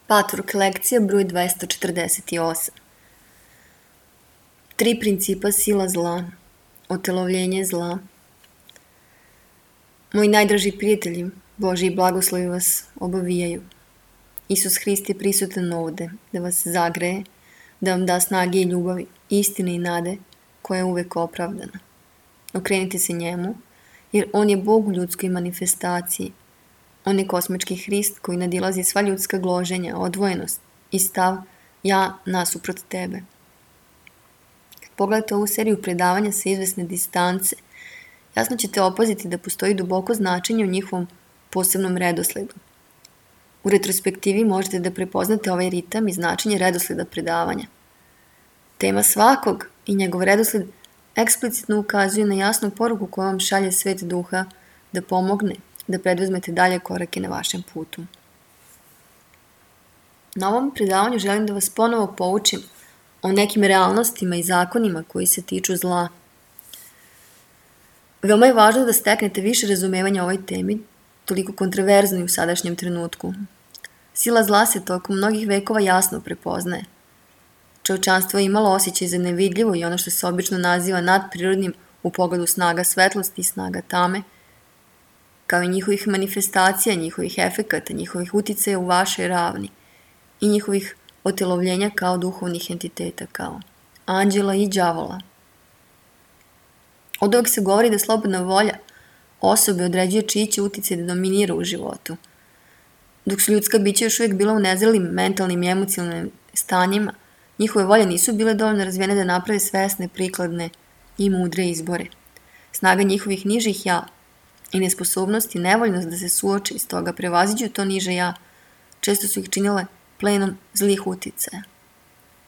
Patvork lekcija broj 248. 3 principa sila zla, otelovljenje zla. Moji najdraži prijatelji, Božji blagoslovi vas obavijaju. Isus Hrist je prisutan ovde, da vas zagreje, da vam da snage i ljubavi, istine i nade, koja je uvek opravdana. Okrenite se njemu, jer on je Bog u ljudskoj manifestaciji. On je kosmički Hrist koji nadilazi sva ljudska gloženja, odvojenost i stav ja nasuprot tebe. Kad pogledate ovu seriju predavanja sa izvesne distance, jasno ćete opaziti da postoji duboko značenje u njihovom posebnom redosledu. U retrospektivi možete da prepoznate ovaj ritam i značenje redosleda predavanja. Tema svakog i njegov redosled eksplicitno ukazuje na jasnu poruku koju vam šalje svet duha da pomogne da preduzmete dalje korake na vašem putu. Na ovom predavanju želim da vas ponovo poučim o nekim realnostima i zakonima koji se tiču zla. Veoma je važno da steknete više razumevanja o ovoj temi, toliko kontroverznoj u sadašnjem trenutku. Sila zla se tokom mnogih vekova jasno prepoznaje. Čovečanstvo je imalo osjećaj za nevidljivo i ono što se obično naziva nadprirodnim u pogledu snaga svetlosti i snaga tame, kao i njihovih manifestacija, njihovih efekata, njihovih uticaja u vašoj ravni i njihovih otelovljenja kao duhovnih entiteta, kao anđela i đavola. Od uvek se govori da slobodna volja osobe određuje čiji će uticaj da dominira u životu. Dok su ljudska bića još uvijek bila u nezrelim mentalnim i emocionalnim stanjima, njihove volje nisu bile dovoljno razvijene da naprave svesne, prikladne i mudre izbore. Snaga njihovih nižih ja i nesposobnost i nevoljnost da se suoče iz toga prevaziđu to niže ja, često su ih činile plenom zlih uticaja.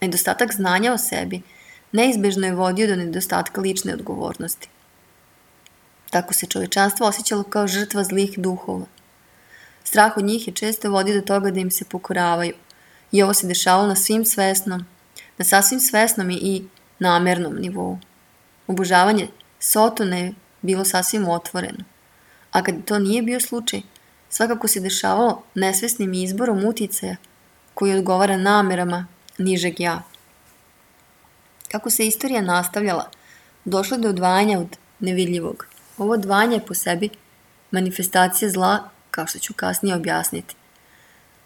Nedostatak znanja o sebi neizbežno je vodio do nedostatka lične odgovornosti. Tako se čovečanstvo osjećalo kao žrtva zlih duhova. Strah od njih je često vodio do toga da im se pokoravaju i ovo se dešavalo na sasvim svesnom i namernom nivou. Obožavanje Sotona je bilo sasvim otvoreno, a kad to nije bio slučaj, svakako se dešavalo nesvesnim izborom uticaja koji odgovara namerama nižeg ja. Kako se istorija nastavljala, došlo je do odvajanja od nevidljivog. Ovo odvajanje je po sebi manifestacija zla, kao što ću kasnije objasniti.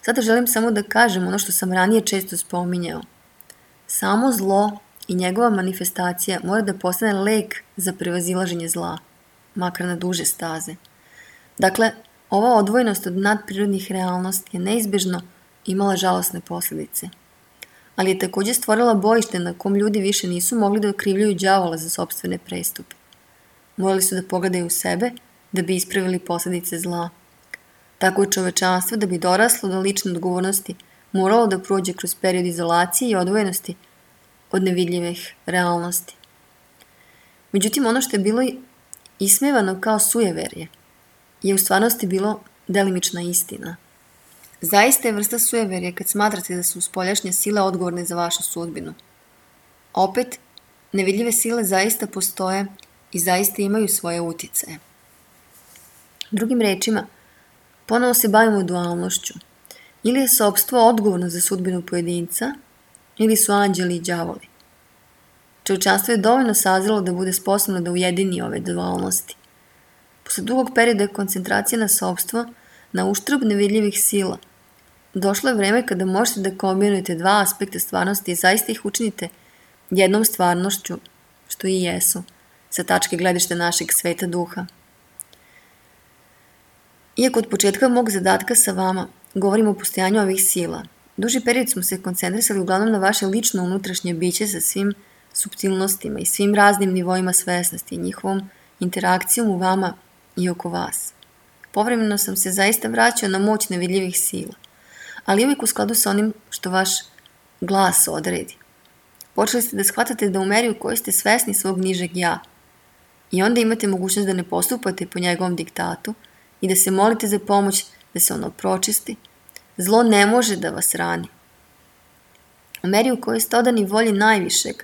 Sada želim samo da kažem ono što sam ranije često spominjao. Samo zlo i njegova manifestacija mora da postane lek za prevazilaženje zla, makar na duže staze. Dakle, ova odvojenost od nadprirodnih realnosti je neizbežno imala žalosne posljedice. Ali je također stvorila bojište na kom ljudi više nisu mogli da okrivljuju đavola za sopstvene prestupe. Morali su da pogledaju u sebe da bi ispravili posljedice zla. Tako je čovečanstvo da bi doraslo do lične odgovornosti moralo da prođe kroz period izolacije i odvojenosti od nevidljivih realnosti. Međutim, ono što je bilo ismevano kao sujeverje je u stvarnosti bilo delimična istina. Zaista je vrsta sujeverja kad smatrate da su spoljašnje sile odgovorne za vašu sudbinu. Opet, nevidljive sile zaista postoje i zaista imaju svoje uticaje. Drugim rečima, ponovo se bavimo dualnošću. Ili je sopstvo odgovorno za sudbinu pojedinca, ili su anđeli i đavoli. Čovečanstvo je dovoljno sazrelo da bude sposobno da ujedini ove dualnosti. Posle dugog perioda koncentracije na sopstvo, na uštrb nevidljivih sila, došlo je vreme kada možete da kombinujete dva aspekta stvarnosti i zaista ih učinite jednom stvarnošću, što i jesu, sa tačke gledišta našeg sveta duha. Iako od početka mog zadatka sa vama govorimo o postojanju ovih sila, duži period smo se koncentrisali uglavnom na vaše lično unutrašnje biće sa svim suptilnostima i svim raznim nivoima svesnosti i njihovom interakcijom u vama i oko vas. Povremeno sam se zaista vraćao na moć nevidljivih sila, ali uvijek u skladu sa onim što vaš glas odredi. Počeli ste da shvatate da u meri u kojoj ste svesni svog nižeg ja i onda imate mogućnost da ne postupate po njegovom diktatu i da se molite za pomoć da se ono pročisti, zlo ne može da vas rani. U meri u kojoj ste odani volji najvišeg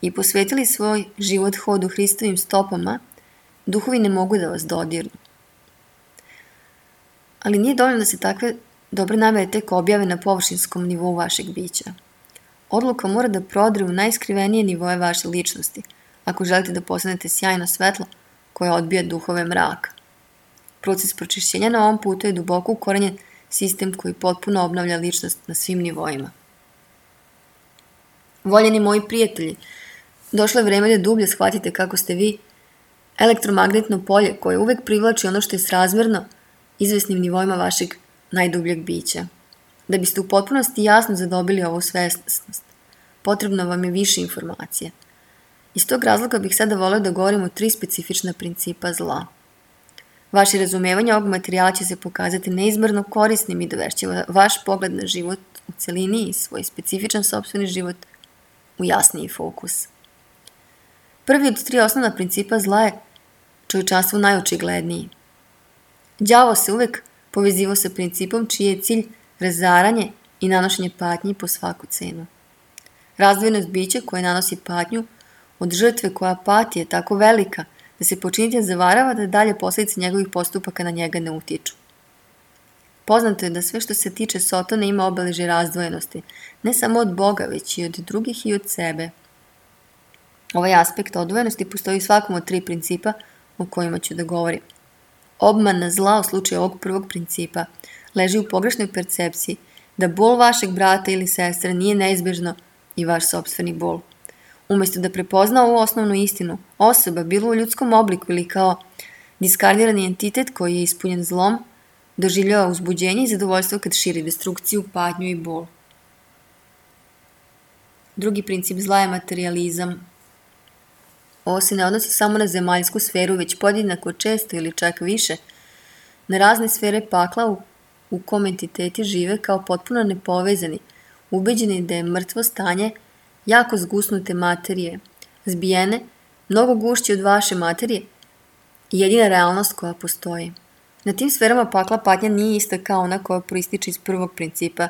i posvetili svoj život hodu Hristovim stopama, duhovi ne mogu da vas dodirnu. Ali nije dovoljno da se takve dobre namere tek objave na površinskom nivou vašeg bića. Odluka mora da prodre u najskrivenije nivoje vaše ličnosti, ako želite da postanete sjajno svetlo koje odbija duhove mraka. Proces pročišćenja na ovom putu je duboko ukorenjen sistem koji potpuno obnavlja ličnost na svim nivoima. Voljeni moji prijatelji, došlo je vreme da dublje shvatite kako ste vi elektromagnetno polje koje uvek privlači ono što je srazmerno izvesnim nivoima vašeg najdubljeg bića. Da biste u potpunosti jasno zadobili ovu svesnost, potrebno vam je više informacije. Iz tog razloga bih sada voleo da govorim o 3 specifična principa zla. Vaše razumevanje ovog materijala će se pokazati neizmerno korisnim i dovešće vaš pogled na život u celini i svoj specifičan sopstveni život u jasniji fokus. Prvi od 3 osnovna principa zla je čovječanstvu najočigledniji. Đavo se uvek povezivao sa principom čiji je cilj razaranje i nanošenje patnji po svaku cenu. Razdvojenost bića koje nanosi patnju od žrtve koja pati je tako velika da se počinitelj zavarava da dalje posljedice njegovih postupaka na njega ne utiču. Poznato je da sve što se tiče Sotona ima obeležje razdvojenosti, ne samo od Boga, već i od drugih i od sebe. Ovaj aspekt odvojenosti postoji u svakom od 3 principa o kojima ću da govorim. Obmana zla u slučaju ovog prvog principa leži u pogrešnoj percepciji da bol vašeg brata ili sestre nije neizbežno i vaš sopstveni bol. Umjesto da prepozna ovu osnovnu istinu, osoba, bilo u ljudskom obliku ili kao diskardirani entitet koji je ispunjen zlom, doživljava uzbuđenje i zadovoljstvo kad širi destrukciju, patnju i bol. Drugi princip zla je materijalizam. Ovo se ne odnosi samo na zemaljsku sferu, već podjednako često ili čak više na razne sfere pakla u kom entiteti žive kao potpuno nepovezani, ubeđeni da je mrtvo stanje jako zgusnute materije, zbijene, mnogo gušće od vaše materije i jedina realnost koja postoji. Na tim sferama pakla patnja nije ista kao ona koja proističe iz prvog principa,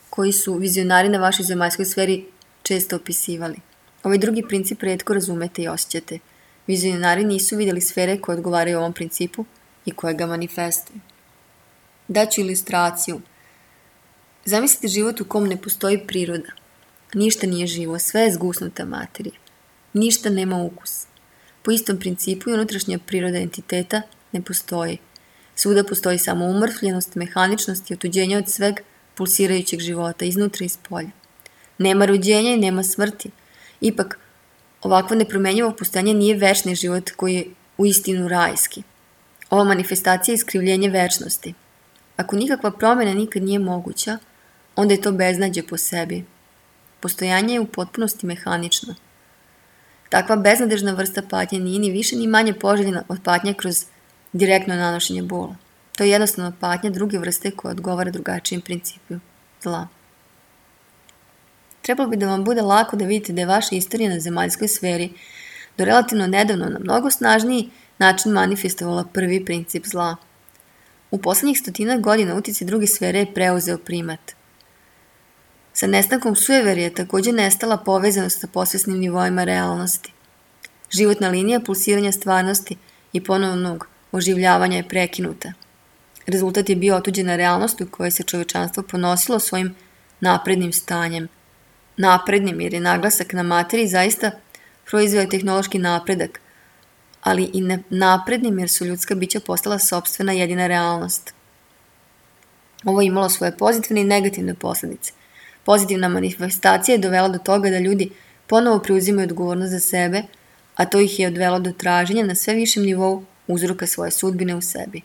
koji su vizionari na vašoj zemaljskoj sferi često opisivali. Ovaj drugi princip retko razumete i osjećate. Vizionari nisu vidjeli sfere koje odgovaraju ovom principu i koje ga manifestuju. Daću ilustraciju. Zamislite život u kom ne postoji priroda. Ništa nije živo, sve je zgusnuta materija. Ništa nema ukus. Po istom principu i unutrašnja priroda entiteta ne postoji. Svuda postoji samo umrtvljenost, mehaničnost i otuđenje od sveg pulsirajućeg života, iznutra i spolja. Nema rođenja i nema smrti. Ipak, ovakvo nepromenjivo postojanje nije večni život koji je uistinu rajski. Ova manifestacija je iskrivljenje večnosti. Ako nikakva promjena nikad nije moguća, onda je to beznađe po sebi. Postojanje je u potpunosti mehanično. Takva beznadežna vrsta patnje nije ni više ni manje poželjena od patnje kroz direktno nanošenje bola. To je jednostavno patnja druge vrste koja odgovara drugačijem principu zla. Trebalo bi da vam bude lako da vidite da je vaša istorija na zemaljskoj sferi do relativno nedavno na mnogo snažniji način manifestovala prvi princip zla. U poslednjih 100 godina uticaj druge sfere je preuzeo primat. Sa nestankom sujeverja je također nestala povezanost sa posvesnim nivoima realnosti. Životna linija pulsiranja stvarnosti i ponovnog oživljavanja je prekinuta. Rezultat je bio otuđena realnost u kojoj se čovečanstvo ponosilo svojim naprednim stanjem. Naprednim jer je naglasak na materiji zaista proizveo tehnološki napredak, ali i naprednim jer su ljudska bića postala sopstvena jedina realnost. Ovo je imalo svoje pozitivne i negativne posljedice. Pozitivna manifestacija je dovela do toga da ljudi ponovo preuzimaju odgovornost za sebe, a to ih je odvelo do traženja na sve višem nivou uzroka svoje sudbine u sebi.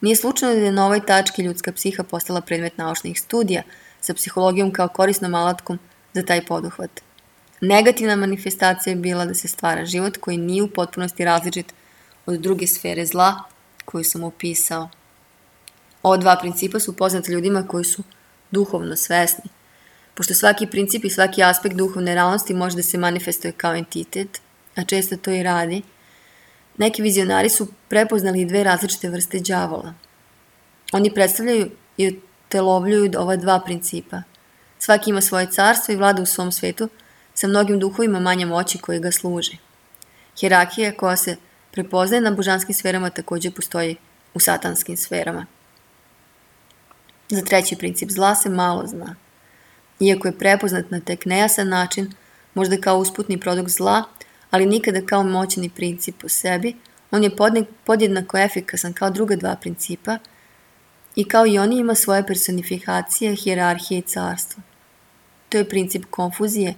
Nije slučajno da je na ovoj tački ljudska psiha postala predmet naučnih studija sa psihologijom kao korisnom alatkom za taj poduhvat. Negativna manifestacija je bila da se stvara život koji nije u potpunosti različit od druge sfere zla koju sam opisao. Ova 2 principa su poznati ljudima koji su duhovno svesni. Pošto svaki princip i svaki aspekt duhovne realnosti može da se manifestuje kao entitet, a često to i radi, neki vizionari su prepoznali 2 različite vrste đavola. Oni predstavljaju i utelovljuju ova 2 principa. Svaki ima svoje carstvo i vlada u svom svetu sa mnogim duhovima manje moći koji ga služe. Hijerarhija koja se prepoznaje na božanskim sferama također postoji u satanskim sferama. Za treći princip zla se malo zna. Iako je prepoznat na tek nejasan način, možda kao usputni produkt zla, ali nikada kao moćni princip po sebi, on je podjednako efikasan kao druga dva principa i kao i oni ima svoje personifikacije, hijerarhije i carstvo. To je princip konfuzije,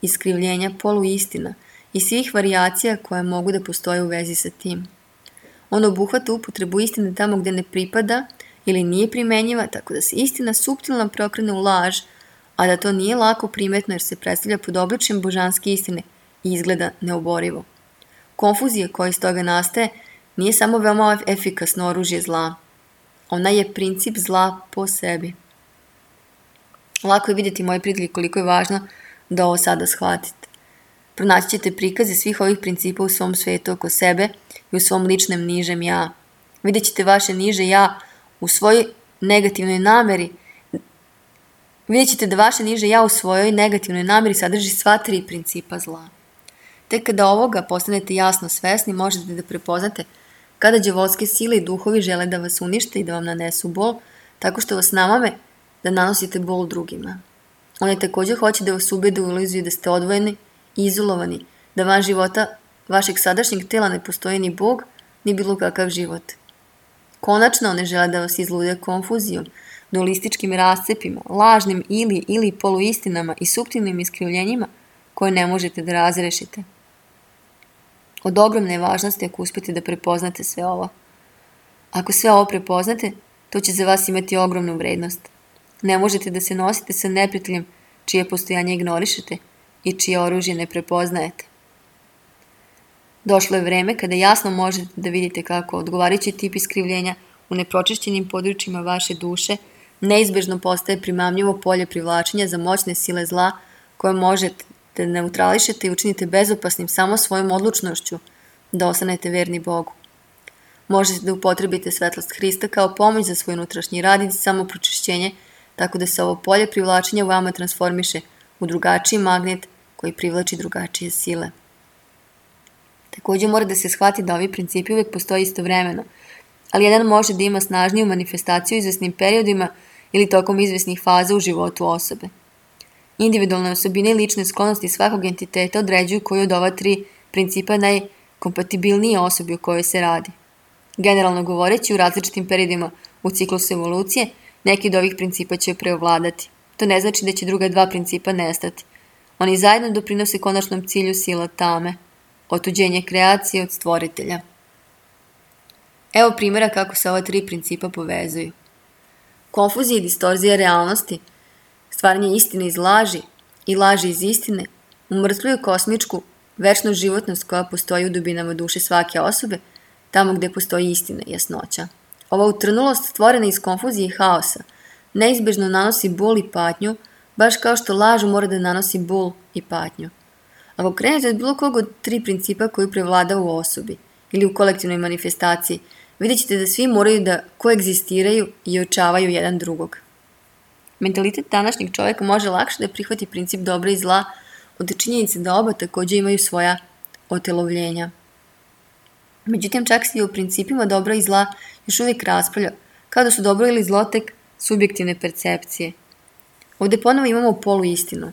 iskrivljenja, poluistina i svih varijacija koje mogu da postoje u vezi sa tim. On obuhvata upotrebu istine tamo gde ne pripada ili nije primenjiva, tako da se istina suptilno preokrene u laž, a da to nije lako primetno jer se predstavlja pod obličjem božanske istine i izgleda neoborivo. Konfuzija koja iz toga nastaje nije samo veoma efikasno oružje zla. Ona je princip zla po sebi. Lako je vidjeti, moji prijatelji, koliko je važno da ovo sada shvatite. Pronaći ćete prikaze svih ovih principa u svom svetu oko sebe i u svom ličnem nižem ja. Vidjet ćete vaše niže ja u svojoj negativnoj nameri. Vidjet ćete da vaše niže ja u svojoj negativnoj nameri sadrži sva tri principa zla. Tek kada ovoga postanete jasno svesni, možete da prepoznate kada đavolske sile i duhovi žele da vas unište i da vam nanesu bol, tako što vas namame da nanosite bol drugima. Oni također hoće da vas ubede u iluziju da ste odvojeni i izolovani, da van života vašeg sadašnjeg tela ne postoji ni Bog, ni bilo kakav život. Konačno, one žele da vas izlude konfuzijom, dualističkim rascepima, lažnim ili poluistinama i suptilnim iskrivljenjima koje ne možete da razrešite. Od ogromne je važnosti ako uspete da prepoznate sve ovo. Ako sve ovo prepoznate, to će za vas imati ogromnu vrednost. Ne možete da se nosite sa neprijateljem čije postojanje ignorišete i čije oružje ne prepoznajete. Došlo je vreme kada jasno možete da vidite kako odgovarajući tip iskrivljenja u nepročišćenim područjima vaše duše neizbežno postaje primamljivo polje privlačenja za moćne sile zla koje možete da neutrališete i učinite bezopasnim samo svojom odlučnošću da ostanete verni Bogu. Možete da upotrebite svetlost Hrista kao pomoć za svoj unutrašnji rad i samo pročišćenje, tako da se ovo polje privlačenja u vama transformiše u drugačiji magnet koji privlači drugačije sile. Također mora da se shvati da ovi principi uvijek postoje istovremeno, ali jedan može da ima snažniju manifestaciju u izvesnim periodima ili tokom izvesnih faza u životu osobe. Individualne osobine i lične sklonosti svakog entiteta određuju koju od ova tri principa najkompatibilnije osobi o kojoj se radi. Generalno govoreći, u različitim periodima u ciklusu evolucije, neki od ovih principa će preovladati. To ne znači da će druga dva principa nestati. Oni zajedno doprinose konačnom cilju sila tame, otuđenje kreacije od stvoritelja. Evo primjera kako se ova tri principa povezuju. Konfuzija i distorzija realnosti, stvaranje istine iz laži i laži iz istine, umrtljuje kosmičku, večnu životnost koja postoji u dubinama duše svake osobe, tamo gde postoji istina i jasnoća. Ova utrnulost stvorena iz konfuzije i haosa neizbežno nanosi bol i patnju, baš kao što laž mora da nanosi bol i patnju. Ako krenete od bilo kog od tri principa koji prevlada u osobi ili u kolektivnoj manifestaciji, vidjet ćete da svi moraju da koegzistiraju i očavaju jedan drugog. Mentalitet današnjeg čovjeka može lakše da prihvati princip dobra i zla od činjenice da oba također imaju svoja otelovljenja. Međutim, čak se i u principima dobra i zla još uvijek raspravlja, kao da su dobro ili zlo tek subjektivne percepcije. Ovdje ponovo imamo poluistinu.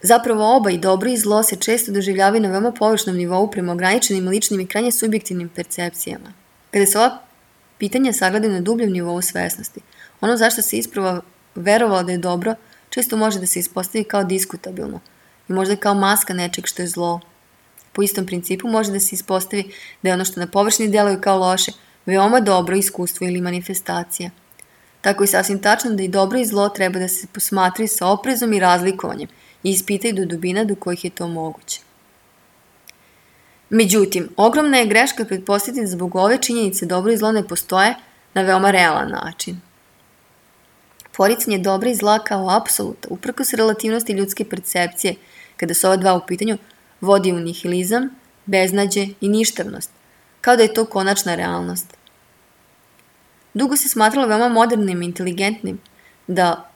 Zapravo oba, i dobro i zlo, se često doživljavaju na veoma površnom nivou prema ograničenim ličnim i krajnje subjektivnim percepcijama. Kada se ova pitanja sagledaju na dubljem nivou svesnosti, ono zašto se isprava verovalo da je dobro, često može da se ispostavi kao diskutabilno i možda kao maska nečeg što je zlo. Po istom principu može da se ispostavi da je ono što na površini deluje kao loše, veoma dobro iskustvo ili manifestacija. Tako je sasvim tačno da i dobro i zlo treba da se posmatraju sa oprezom i razlikovanjem i ispitaju do dubina do kojih je to moguće. Međutim, ogromna je greška pretpostaviti da zbog ove činjenice dobro i zlo ne postoje na veoma realan način. Poricanje dobra i zla kao apsoluta, uprkos relativnosti ljudske percepcije, kada su ova dva u pitanju, vodi u nihilizam, beznađe i ništavnost, kao da je to konačna realnost. Dugo se smatralo veoma modernim i inteligentnim da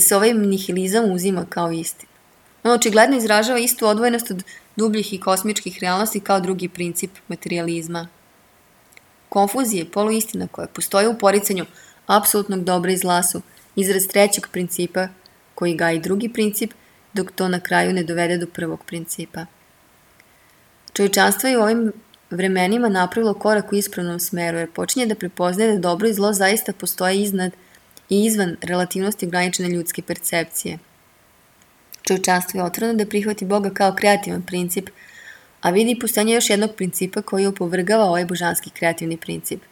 se ovaj nihilizam uzima kao istina. On očigledno izražava istu odvojenost od dubljih i kosmičkih realnosti kao drugi princip materijalizma. Konfuzija je poluistina koja postoji u poricanju apsolutnog dobra i zla su izraz trećeg principa koji gaji drugi princip, dok to na kraju ne dovede do prvog principa. Čovječanstvo je u ovim vremenima napravilo korak u ispravnom smeru, jer počinje da prepoznaje da dobro i zlo zaista postoje iznad i izvan relativnosti ograničene ljudske percepcije. Čovječanstvo je otvoreno da prihvati Boga kao kreativan princip, a vidi postojanje još jednog principa koji opovrgava ovaj božanski kreativni princip.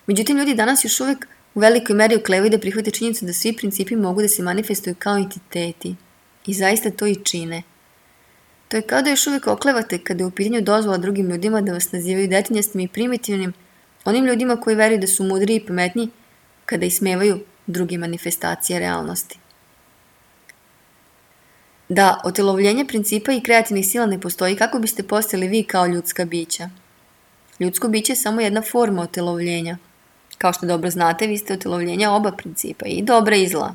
Međutim, ljudi danas još uvek u velikoj meri oklevaju da prihvate činjenicu da svi principi mogu da se manifestuju kao entiteti i zaista to i čine. To je kao da još uvek oklevate kada je u pitanju dozvola drugim ljudima da vas nazivaju detinjastim i primitivnim, onim ljudima koji veruju da su mudri i pametni kada ismevaju druge manifestacije realnosti. Da otelovljenje principa i kreativnih sila ne postoji, kako biste postali vi kao ljudska bića? Ljudsko biće je samo jedna forma otelovljenja. Kao što dobro znate, vi ste otelovljenja oba principa, i dobra i zla.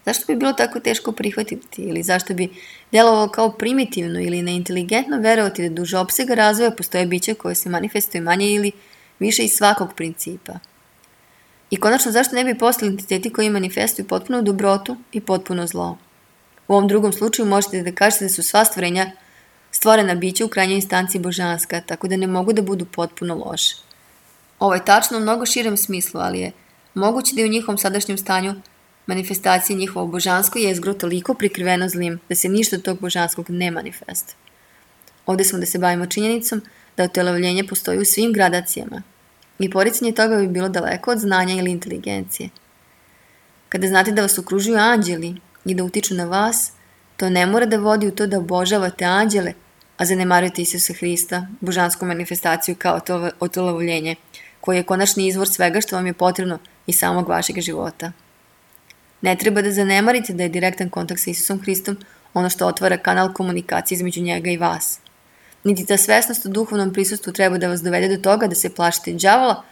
Zašto bi bilo tako teško prihvatiti ili zašto bi djelovalo kao primitivno ili neinteligentno verovati da duže opsega razvoja postoje biće koje se manifestuju manje ili više iz svakog principa? I konačno, zašto ne bi postali entiteti koji manifestuju potpuno dobrotu i potpuno zlo? U ovom drugom slučaju možete da kažete da su sva stvorenja stvorena bića u krajnjoj instanciji božanska, tako da ne mogu da budu potpuno loše. Ovo je tačno u mnogo širem smislu, ali je moguće da je u njihovom sadašnjem stanju manifestacije njihovo božansko jezgro toliko prikriveno zlim da se ništa od tog božanskog ne manifestuje. Ovdje smo da se bavimo činjenicom da otelovljenje postoji u svim gradacijama i poricanje toga bi bilo daleko od znanja ili inteligencije. Kada znate da vas okružuju anđeli i da utiču na vas, to ne mora da vodi u to da obožavate anđele, a zanemarujete Isusa Hrista, božansku manifestaciju kao to otelovljenje, koji je konačni izvor svega što vam je potrebno i samog vašeg života. Ne treba da zanemarite da je direktan kontakt sa Isusom Hristom ono što otvara kanal komunikacije između njega i vas. Niti ta svesnost o duhovnom prisustvu treba da vas dovede do toga da se plašite đavola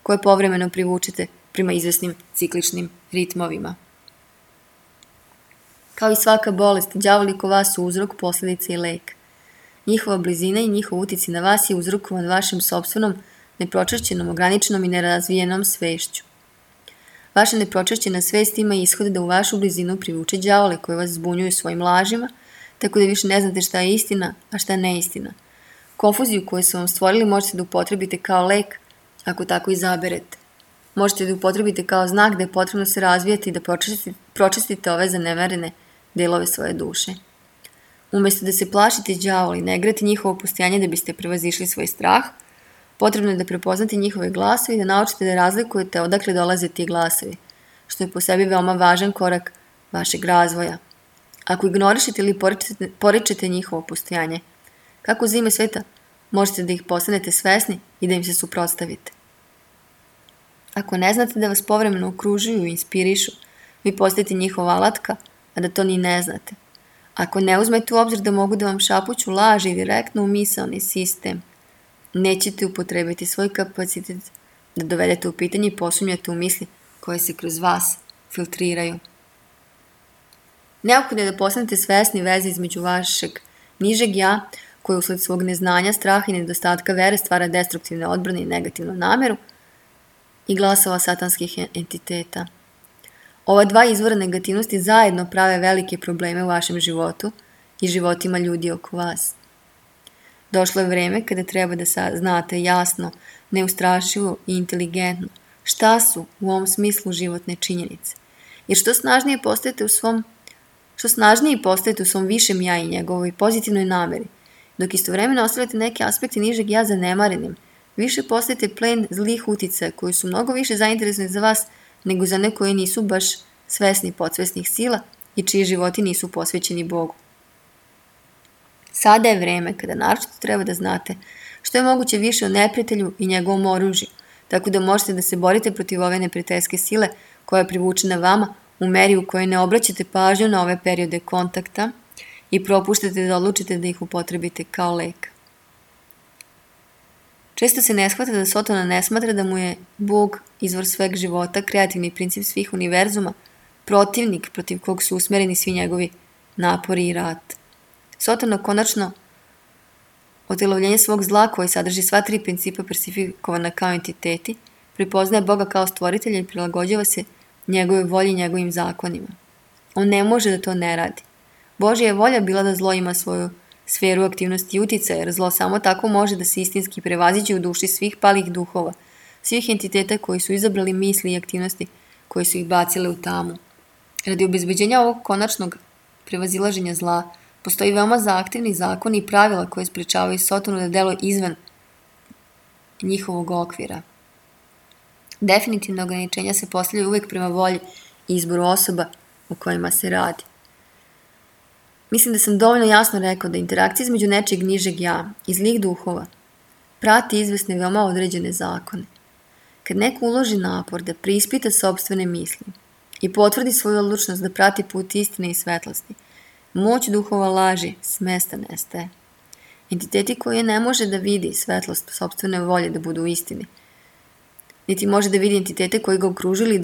koje povremeno privučete prema izvesnim cikličnim ritmovima. Kao i svaka bolest, đavoli oko vas su uzrok, posledica i lek. Njihova blizina i njihov uticaj na vas je uzrokovan vašim sopstvenom, nepročašćenom, ograničenom i nerazvijenom svešću. Vaša nepročašćena svest ima ishod da u vašu blizinu privuče đavole koje vas zbunjuju svojim lažima, tako da više ne znate šta je istina, a šta je neistina. Konfuziju koju su vam stvorili možete da upotrebite kao lek, ako tako izaberete. Možete da upotrebite kao znak da je potrebno se razvijati i da pročistite ove zanemarene delove svoje duše. Umesto da se plašite đavoli, ne igrate njihovo postojanje da biste prevazišli svoj strah, potrebno je da prepoznate njihove glasove i da naučite da razlikujete odakle dolaze ti glasovi, što je po sebi veoma važan korak vašeg razvoja. Ako ignorišete ili poričete njihovo postojanje, kako za ime sveta možete da ih postanete svesni i da im se suprotstavite? Ako ne znate da vas povremeno okružuju i inspirišu, vi postajete njihova alatka, a da to ni ne znate. Ako ne uzmete u obzir da mogu da vam šapuću laži direktno u misaoni sistem, nećete upotrebiti svoj kapacitet da dovedete u pitanje i posumnjate u misli koje se kroz vas filtriraju. Neophodno je da postanete svesni veze između vašeg nižeg ja, koje usled svog neznanja, straha i nedostatka vere stvara destruktivne odbrane i negativnu nameru, i glasova satanskih entiteta. Ova dva izvora negativnosti zajedno prave velike probleme u vašem životu i životima ljudi oko vas. Došlo je vreme kada treba da znate jasno, neustrašivo i inteligentno šta su u ovom smislu životne činjenice. Jer što snažnije postajete u svom višem ja i njegovoj pozitivnoj nameri, dok istovremeno ostavljate neke aspekte nižeg ja zanemarenim, više postajete plen zlih uticaja koji su mnogo više zainteresni za vas nego za one koji nisu baš svesni podsvesnih sila i čiji životi nisu posvećeni Bogu. Sada je vreme kada naročito treba da znate što je moguće više o neprijatelju i njegovom oružju, tako da možete da se borite protiv ove neprijateljske sile koja je privučena vama u meri u kojoj ne obraćate pažnju na ove periode kontakta i propuštate da odlučite da ih upotrebite kao lek. Često se ne shvata da Sotona ne smatra da mu je Bog izvor sveg života, kreativni princip svih univerzuma, protivnik protiv kog su usmereni svi njegovi napori i rat. Sotona konačno otelovljenje svog zla koji sadrži sva tri principa persifikovana kao entiteti, prepoznaje Boga kao stvoritelja i prilagođava se njegove volji i njegovim zakonima. On ne može da to ne radi. Božja je volja bila da zlo ima svoju sferu aktivnosti i uticaja, jer zlo samo tako može da se istinski prevaziđe u duši svih palih duhova, svih entiteta koji su izabrali misli i aktivnosti koje su ih bacile u tamu. Radi obezbeđenja ovog konačnog prevazilaženja zla, postoji veoma zahtevni zakoni i pravila koje sprečavaju Sotonu da deluje izvan njihovog okvira. Definitivno ograničenja se postavljaju uvek prema volji i izboru osoba o kojima se radi. Mislim da sam dovoljno jasno rekao da interakcija između nečeg nižeg ja i zlih duhova prati izvesne veoma određene zakone. Kad neko uloži napor da preispita sopstvene misli i potvrdi svoju odlučnost da prati put istine i svetlosti, moć duhova laži s mesta nestaje. Entiteti koje ne može da vidi svetlost sopstvene volje da budu u istini, niti može da vidi entitete koji ga okružili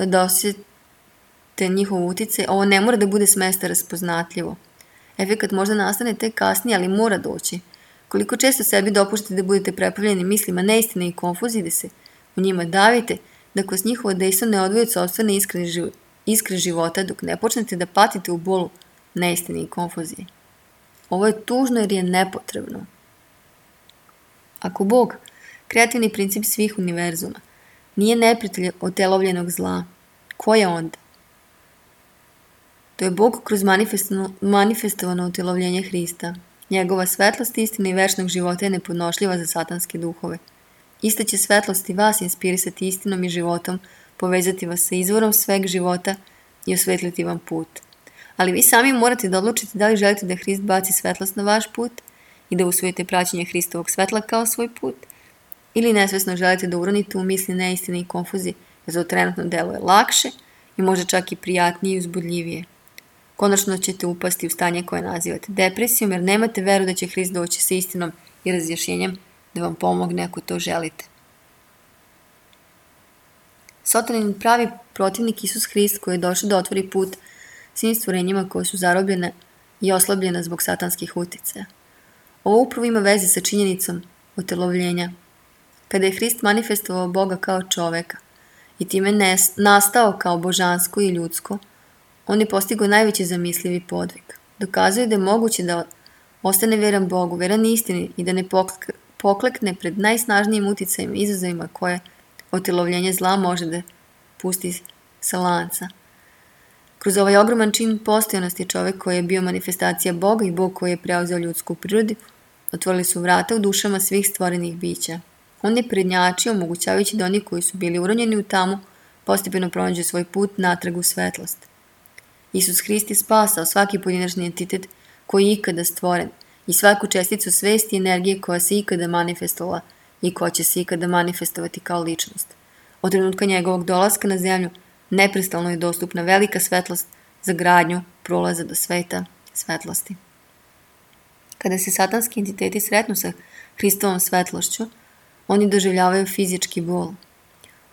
da osjete njihov uticaj, ovo ne mora da bude s mesta raspoznatljivo. Efekat možda nastane tek kasnije, ali mora doći. Koliko često sebi dopuštate da budete preplavljeni mislima neistine i konfuzije, da se u njima davite, da kroz njihovo dejstvo ne odvoju od sopstvene iskre života, dok ne počnete da patite u bolu neistine i konfuzije. Ovo je tužno jer je nepotrebno. Ako Bog, kreativni princip svih univerzuma, nije neprijatelj otelovljenog zla, ko je onda? To je Bog kroz manifestovano utelovljenje Hrista. Njegova svetlost istine i večnog života je nepodnošljiva za satanske duhove. Ista će svetlost i vas inspirisati istinom i životom, povezati vas sa izvorom sveg života i osvetliti vam put. Ali vi sami morate da odlučite da li želite da Hrist baci svetlost na vaš put i da usvojite praćenje Hristovog svetla kao svoj put, ili nesvesno želite da uronite u misli neistine i konfuzije, jer to trenutno deluje lakše i može čak i prijatnije i uzbudljivije. Konačno ćete upasti u stanje koje nazivate depresijom, jer nemate veru da će Hrist doći sa istinom i razjašnjenjem da vam pomogne ako to želite. Satanin pravi protivnik Isus Hrist koji je došao da otvori put svim stvorenjima koje su zarobljene i oslabljene zbog satanskih uticaja. Ovo upravo ima veze sa činjenicom otelovljenja. Kada je Hrist manifestovao Boga kao čoveka i time nastao kao božansko i ljudsko, on je postigao najveći zamislivi podvig. Dokazuje da je moguće da ostane veran Bogu, veran istini i da ne poklekne pred najsnažnijim uticajima i izazovima koje otelovljenje zla može da pusti sa lanca. Kroz ovaj ogroman čin postojanosti čovek koji je bio manifestacija Boga i Bog koji je preuzeo ljudsku prirodu, otvorili su vrata u dušama svih stvorenih bića. On je prednjačio, omogućavajući da oni koji su bili uronjeni u tamu postepeno pronađu svoj put natrag u svetlost. Isus Hrist je spasao svaki pojedinačni entitet koji je ikada stvoren i svaku česticu svesti i energije koja se ikada manifestovala i koja će se ikada manifestovati kao ličnost. Od trenutka njegovog dolaska na zemlju neprestalno je dostupna velika svetlost za gradnju prolaza do sveta svetlosti. Kada se satanski entiteti sretnu sa Hristovom svetlošću, oni doživljavaju fizički bol.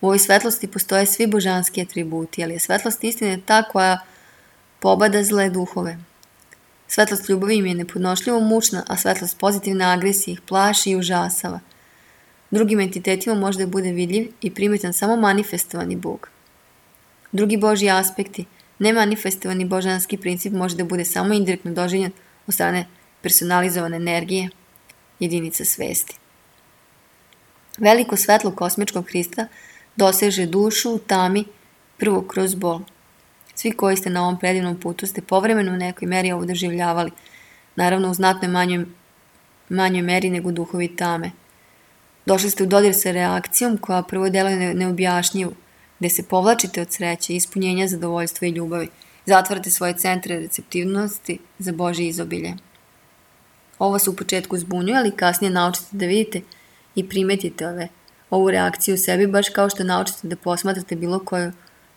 U ovoj svetlosti postoje svi božanski atributi, ali je svetlost istine ta koja pobada zle duhove. Svetlost ljubavi im je nepodnošljivo mučna, a svetlost pozitivne agresije ih plaši i užasava. Drugim entitetima može da bude vidljiv i primetan samo manifestovani Bog. Drugi Božji aspekti, nemanifestovani božanski princip može da bude samo indirektno doživljen od strane personalizovane energije, jedinica svesti. Veliko svetlo kosmičkog Hrista doseže dušu u tami prvo kroz bol. Svi koji ste na ovom predivnom putu ste povremeno u nekoj meri ovo doživljavali, naravno u znatnoj manjoj meri nego duhovi tame. Došli ste u dodir sa reakcijom koja prvo deluje neobjašnjivo, gde se povlačite od sreće, ispunjenja, zadovoljstva i ljubavi. Zatvarate svoje centre receptivnosti za Božje izobilje. Ovo se u početku zbunjuje, ali kasnije naučite da vidite i primetite ovu reakciju u sebi, baš kao što naučite da posmatrate bilo koju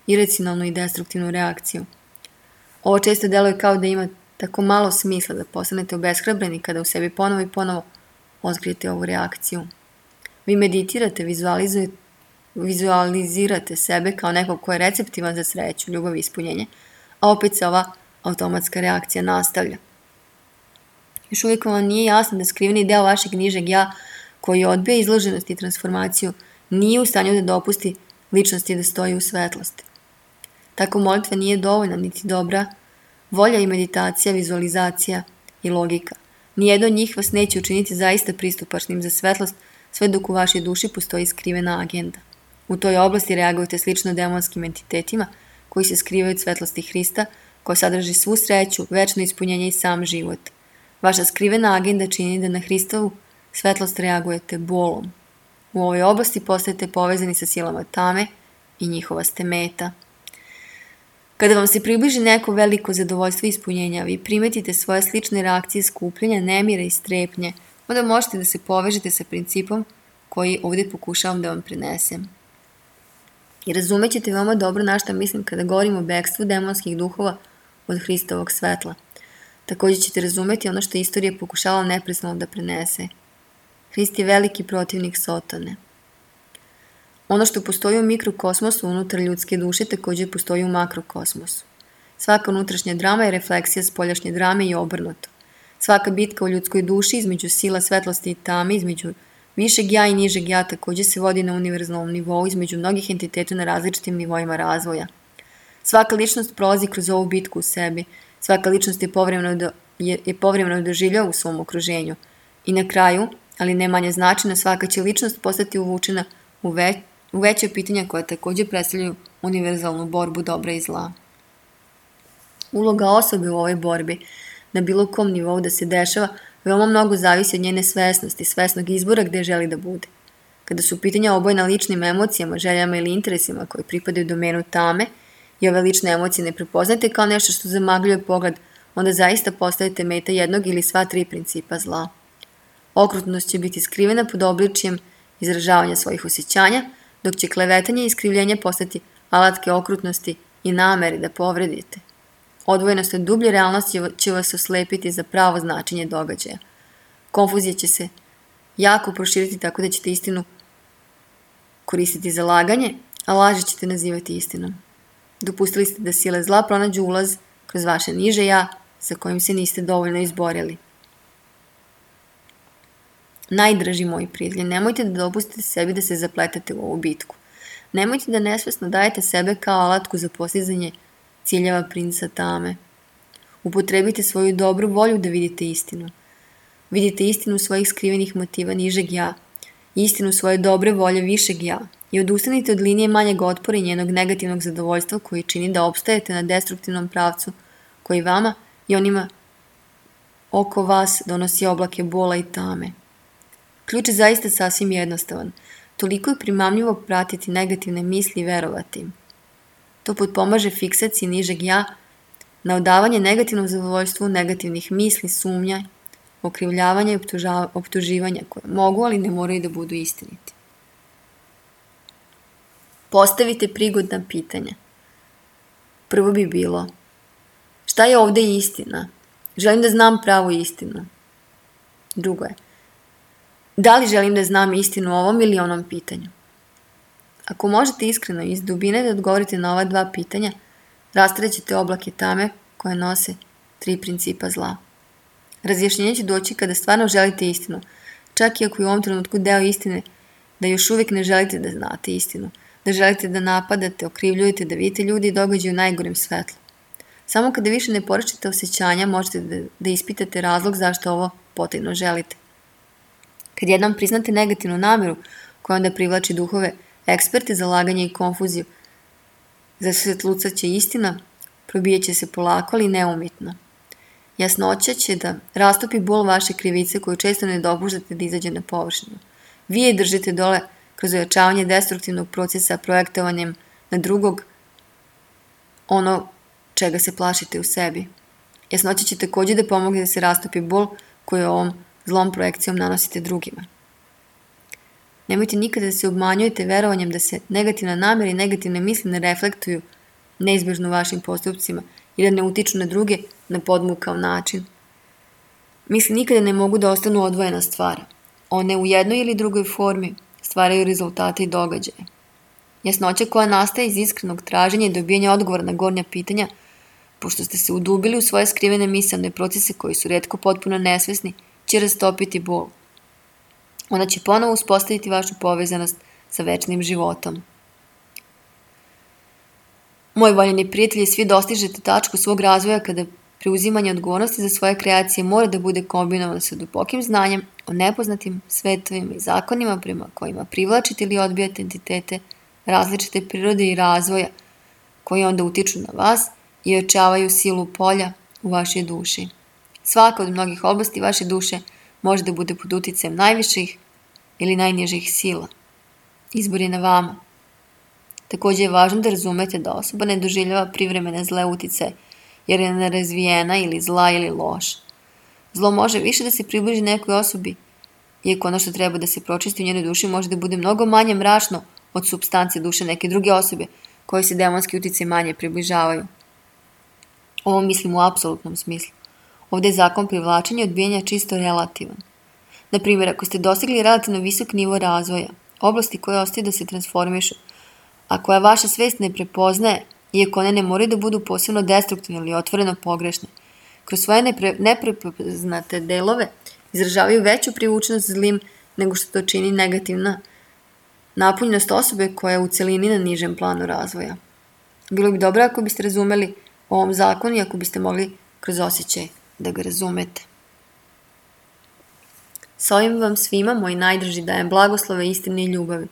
iracionalnu i destruktivnu reakciju. Ovo često deluje kao da ima tako malo smisla da postanete obeshrabreni kada u sebi ponovo i ponovo otkrijete ovu reakciju. Vi meditirate, vizualizirate sebe kao nekog ko je receptivan za sreću, ljubav i ispunjenje, a opet se ova automatska reakcija nastavlja. Još uvijek vam nije jasno da skriveni deo vašeg nižeg ja, koji odbija izloženost i transformaciju, nije u stanju da dopusti ličnosti da stoji u svetlosti. Tako molitva nije dovoljna niti dobra volja i meditacija, vizualizacija i logika. Nijedno od njih vas neće učiniti zaista pristupačnim za svetlost, sve dok u vašoj duši postoji skrivena agenda. U toj oblasti reagujete slično demonskim entitetima koji se skrivaju od svetlosti Hrista, koja sadrži svu sreću, večno ispunjenje i sam život. Vaša skrivena agenda čini da na Hristovu svetlost reagujete bolom. U ovoj oblasti postajete povezani sa silama tame i njihova ste meta. Kada vam se približi neko veliko zadovoljstvo i ispunjenja, vi primetite svoje slične reakcije skupljenja, nemira i strepnje, onda možete da se povežete sa principom koji ovdje pokušavam da vam prenesem. I razumećete veoma dobro na šta mislim kada govorim o bekstvu demonskih duhova od Hristovog svetla. Također ćete razumeti ono što istorija pokušala neprestano da prenese. Hrist je veliki protivnik Sotone. Ono što postoji u mikrokosmosu unutar ljudske duše također postoji u makrokosmosu. Svaka unutrašnja drama je refleksija spoljašnje drame i obrnuto. Svaka bitka u ljudskoj duši između sila svetlosti i tame, između višeg ja i nižeg ja također se vodi na univerzalnom nivou između mnogih entiteta na različitim nivoima razvoja. Svaka ličnost prolazi kroz ovu bitku u sebi. Svaka ličnost je povremeno doživljava u svom okruženju. I na kraju, ali ne manje značajno, svaka će ličnost postati uvučena u veće pitanja koja također predstavljaju univerzalnu borbu dobra i zla. Uloga osobe u ovoj borbi, na bilo kom nivou da se dešava, veoma mnogo zavisi od njene svesnosti, svesnog izbora gde želi da bude. Kada su pitanja obojena ličnim emocijama, željama ili interesima koji pripadaju domenu tame i ove lične emocije ne prepoznate kao nešto što zamagljuje pogled, onda zaista postajete meta jednog ili sva tri principa zla. Okrutnost će biti skrivena pod obličjem izražavanja svojih osjećanja, dok će klevetanje i iskrivljenje postati alatke okrutnosti i nameri da povredite. Odvojenost od dublje realnosti će vas oslepiti za pravo značenje događaja. Konfuzija će se jako proširiti tako da ćete istinu koristiti za laganje, a laži ćete nazivati istinom. Dopustili ste da sile zla pronađu ulaz kroz vaše niže ja, sa kojim se niste dovoljno izborili. Najdraži moji prijatelji, nemojte da dopustite sebi da se zapletate u ovu bitku. Nemojte da nesvesno dajete sebe kao alatku za postizanje ciljeva princa tame. Upotrebite svoju dobru volju da vidite istinu. Vidite istinu svojih skrivenih motiva nižeg ja, istinu svoje dobre volje višeg ja i odustanite od linije manjeg otpora i njenog negativnog zadovoljstva koji čini da opstajete na destruktivnom pravcu koji vama i onima oko vas donosi oblake bola i tame. Ključ je zaista sasvim jednostavan. Toliko je primamljivo pratiti negativne misli i verovati im. To potpomaže fiksaciji nižeg ja na odavanje negativnom zadovoljstvu negativnih misli, sumnja, okrivljavanja i optuživanja koje mogu, ali ne moraju da budu istiniti. Postavite prigodna pitanja. Prvo bi bilo: šta je ovdje istina? Želim da znam pravu istinu. Drugo je: da li želim da znam istinu o ovom ili onom pitanju? Ako možete iskreno iz dubine da odgovorite na ova dva pitanja, rastrećete oblake tame koje nose tri principa zla. Razjašnjenje će doći kada stvarno želite istinu, čak i ako je u ovom trenutku deo istine da još uvijek ne želite da znate istinu, da želite da napadate, okrivljujete, da vidite ljudi i događaju u najgorem svetlu. Samo kada više ne poričete osjećanja, možete da ispitate razlog zašto ovo potajno želite. Kad jednom priznate negativnu namjeru koja onda privlači duhove, eksperte za laganje i konfuziju, zasvetlucat će istina, probijat će se polako, ali neumitno. Jasnoća će da rastopi bol vaše krivice koju često ne dopuštate da izađe na površinu. Vi je držite dole kroz ojačavanje destruktivnog procesa projektovanjem na drugog ono čega se plašite u sebi. Jasnoća će također da pomogne da se rastopi bol koju ovom zlom projekcijom nanosite drugima. Nemojte nikada da se obmanjujete verovanjem da se negativna namjera i negativne misli ne reflektuju neizbježno vašim postupcima i da ne utiču na druge na podmukao način. Misli nikada ne mogu da ostanu odvojena stvar. One u jednoj ili drugoj formi stvaraju rezultate i događaje. Jasnoća koja nastaje iz iskrenog traženja i dobijanja odgovora na gornja pitanja, pošto ste se udubili u svoje skrivene misaone procese koji su retko potpuno nesvesni, će rastopiti bol. Ona će ponovo uspostaviti vašu povezanost sa večnim životom. Moj voljeni prijatelji, svi dostižete tačku svog razvoja kada preuzimanje odgovornosti za svoje kreacije mora da bude kombinovano sa dubokim znanjem o nepoznatim svetovima i zakonima prema kojima privlačite ili odbijate entitete različite prirode i razvoja koji onda utiču na vas i ojačavaju silu polja u vašoj duši. Svaka od mnogih oblasti vaše duše može da bude pod uticajem najviših ili najnižih sila. Izbor je na vama. Također je važno da razumete da osoba ne doživljava privremene zle uticaje jer je nerazvijena ili zla ili loša. Zlo može više da se približi nekoj osobi, iako ono što treba da se pročisti u njenoj duši može da bude mnogo manje mračno od supstance duše neke druge osobe koje se demonski uticaj manje približavaju. Ovo mislim u apsolutnom smislu. Ovdje je zakon privlačenja i odbijanja čisto relativan. Naprimjer, ako ste dostigli relativno visok nivo razvoja, oblasti koje ostaju da se transformišu, a koja vaša svest ne prepoznaje, iako one ne moraju da budu posebno destruktivne ili otvoreno pogrešne, kroz svoje neprepoznate delove izražavaju veću privučnost zlim nego što to čini negativna napunjenost osobe koja je u celini na nižem planu razvoja. Bilo bi dobro ako biste razumeli o ovom zakonu i ako biste mogli kroz osjećaj da ga razumete. Sa ovim vam svima, moji najdraži, dajem blagoslove, istine i ljubavi.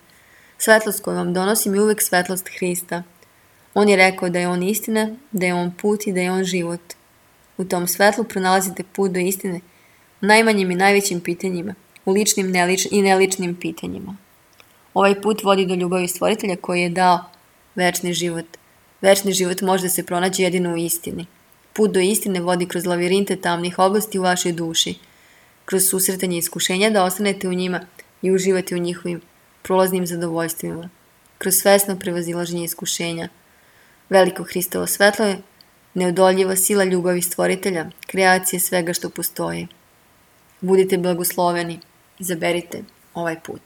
Svetlost koju vam donosim je uvek svetlost Hrista. On je rekao da je on istina, da je on put i da je on život. U tom svetlu pronalazite put do istine u najmanjim i najvećim pitanjima, u ličnim i neličnim pitanjima. Ovaj put vodi do ljubavi Stvoritelja koji je dao večni život. Večni život može da se pronađe jedino u istini. Put do istine vodi kroz lavirinte tamnih oblasti u vašoj duši, kroz susretanje iskušenja da ostanete u njima i uživate u njihovim prolaznim zadovoljstvima, kroz svesno prevazilaženje iskušenja. Veliko Hristovo svetlo je neodoljiva sila ljubavi Stvoritelja, kreacije svega što postoji. Budite blagosloveni, izaberite ovaj put.